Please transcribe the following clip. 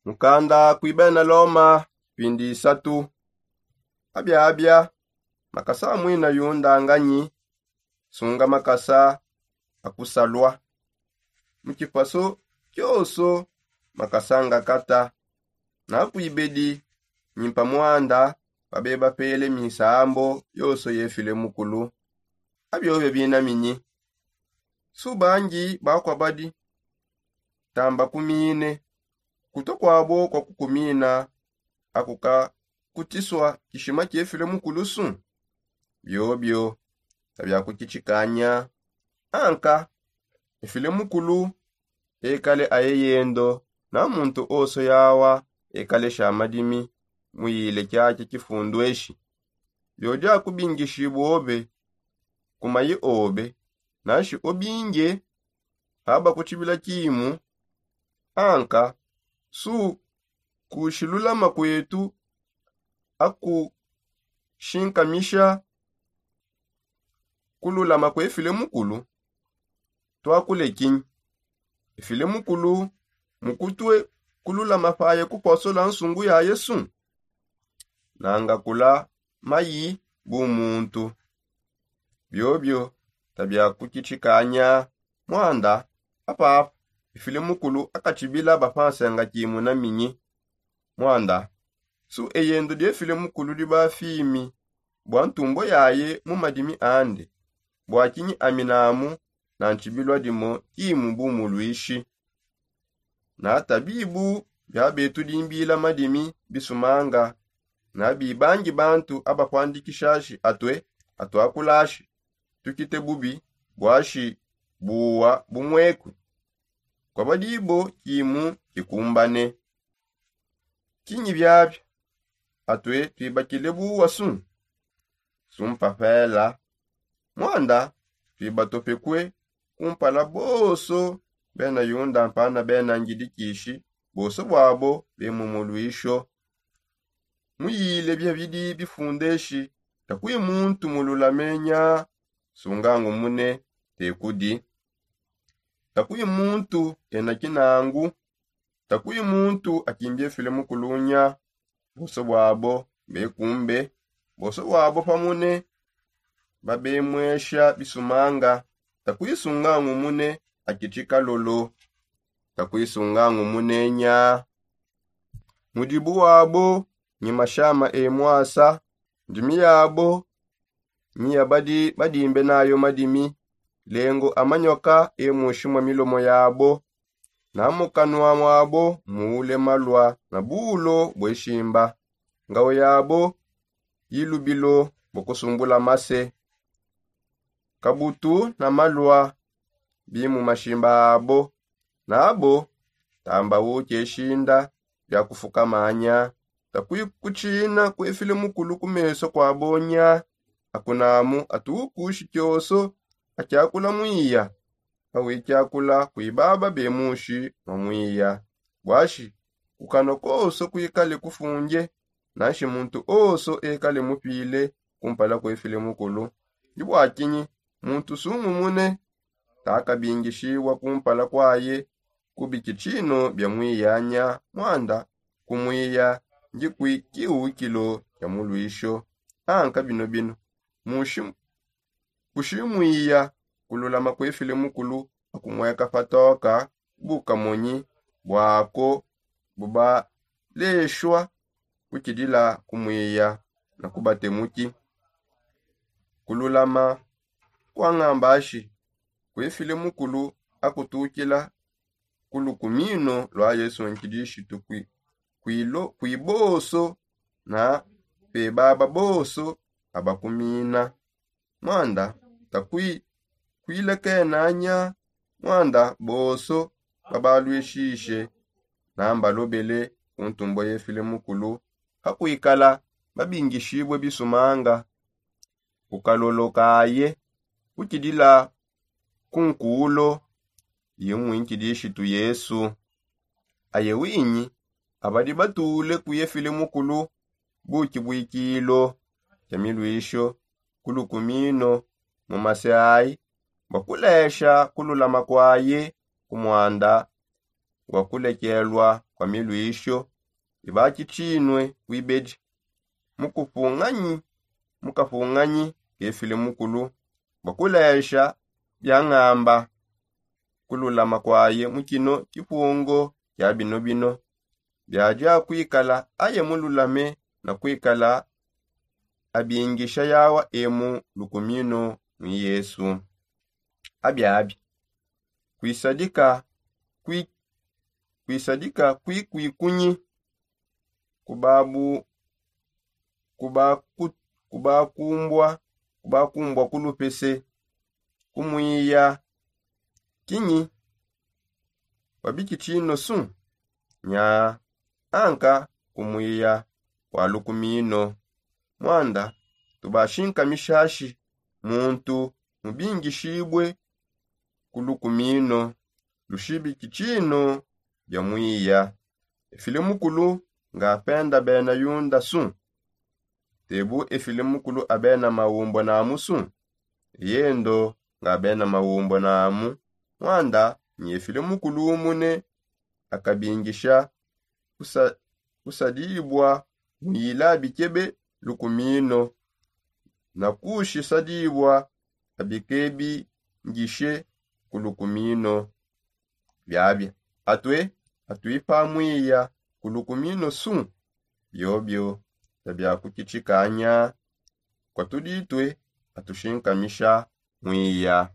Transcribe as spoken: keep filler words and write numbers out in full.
Mukanda kui bena loma. Pindi isatu. Abiabia makasa amwina yunda nganyi? Sunga makasa akusalua mu kipaso kioso. Makasa ngakata nakuibedi nyimpa mwanda. Babeba pele minsambo yoso yefile mukulu. Abiobia bina minyi? Subangi bakua badi tamba kumine kuto kwabo kwa kukumina akukakutisua kishima kiefile mukulusu. Biobio tabiakukitshikanya. Anka efile mukulu ekale aye yendo na muntu oso yawa ekale sha madimi. Muyile kiaki kifundu eshi biodi akubingishibua obe kumayi obe. Nashi obinge haba kutshibila kimu anka su kushilulama kuetu akushinkamisha kululama kuefile mukulu. Tuakulekinyi efile mukulu mukutue kululama paye kuposola nsungu ya yesu nanga kula mayi bu muntu. Biobio tabiakukitshikanya. Mwanda apapa ifile mukulu akatshibila bapansenga kimuna minyi? Mwanda su eyendo diefile mukulu diba fimi bua ntumbo yaye mu madimi ande. Bua kinyi aminamu na ntshibilua dimo kimu bu muluishi? Na tabibu bia betu dimbila madimi bisumanga na bibangi bantu abakuandikishashi atue atuakulashi tukite bubi buashi buwa bumuekue. Kuabadibo kimu kikumbane. Kinyi biabia? Atue tuibakile buwa su sumpapela. Mwanda tuibatopekue kumpala bonso bena yunda mpana bena ngidikishi bonso buabo bemu muluisho. Muyile bia bidi bifundeshi. Takui muntu mululamenya sungangumune tekudi. Takui muntu ena kinangu. Takui muntu akimbie file mukulunya. Bonso buabo bekumbe bonso buabo pamune babemuesha bisumanga. Takui sungangumune akitshika lolo. Takui sungangumune nya. Mudibu wabo nyi mashama e mwasa. Ndimi yabo nyi yabadi badimbe nayo madimi. Lengo amanyoka e mushi mwa milomo yabo. Na mukanua mwabo muule malua na bulo bueshimba. Ngawo yabo yilubilo bua kusumbula mase. Kabutu na malua bi mu mashimba abo. Nabo tamba uke shinda bia kufukamanya. Takui kutshina kuefile mukulu ku meso kuabo nya. Akunamu atukushi kioso akiakula muiya. Pawikiakula kuibaba bemushi mwa muiya. Buashi kukanua koso kuikale kufunge. Nanshi muntu oso ekale mupile kumpala kuefile mukulu. Ndi bua kinyi muntu sungumune takabingishibua kumpala kuaye kubikitshino bia muiyanya? Mwanda kumuiya ndi kui kiwukilo kia muluisho. Anka bino bino mushi kushi muiya kululama kuefile mukulu akumueka patoka. Bukamonyi buako bubaleshua kukidila kumuiya na kubatemuki. Kululama kuangambashi kuefile mukulu akutukila ku lukumino lua yesu nkidishitu kui boso na pebaba boso abakumina. Mwanda takui kuilekenanya. Mwanda boso babaluishishe na mbalobele ku ntumbo yefile mukulu. Hakuikala babingishibue bisumanga kukalolo kaye kukidila ku nkulo ye muinkidishitu yesu. Aye winyi abadi batule kuyefile mukulu buki buikilo kia miluisho ku lukumino mu mase ayi bua kulesha kululama kuaye ku mwanda wa kulekelua. wa miluisho ibaki tshinue kuibedi mukupunganyi mukapunganyi kefile mukulu bua kulesha biangamba kululama kuaye mu kino kipungo kia bino bino biadia kuikala aye mululame na kuikala abingisha yawa emu lukumino mu yesu. Abiabi kuisadika kui kuisadika kuikuikunyi kubabu kubaku kubakumbua kubakumbua kulupese kumuiya kinyi wabiki tshino su nya anka kumuiya kwa lukumino mwanda tubashinka mishashi muntu mubingishibue ku lukumino lushibiki tshino bia muiya efile mukulu nga penda bena yunda su tebu efile mukulu abena maumbo namu su eyendo nga bena maumbo namu mwanda nyi efile mukulu umune akabingisha kusa kusadibua muyila bikebe lukumino na kushisadibua abikebi ngishe ku lukumino biabia atue atuipa muiya ku lukumino su biobio bia biakukitshikanya kwa tuditue atushinkamisha muiya.